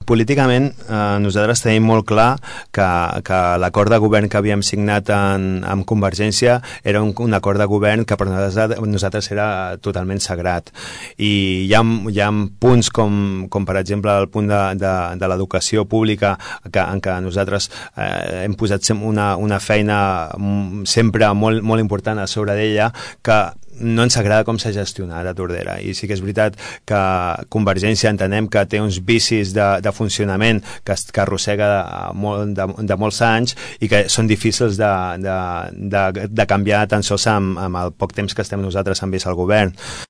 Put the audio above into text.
Políticament, nosaltres tenim molt clar que l'acord de govern que havíem signat amb Convergència era un acord de govern que per nosaltres era totalment sagrat. I hi ha punts com per exemple el punt de l'educació pública en què nosaltres hem posat una feina sempre molt, molt important a sobre d'ella, que no ens agrada com s'ha gestionat a Tordera, i sí que és veritat que Convergència entenem que té uns vicis de funcionament que arrossega de molts anys i que són difícils de canviar tan sols amb el poc temps que estem nosaltres amb vist al govern.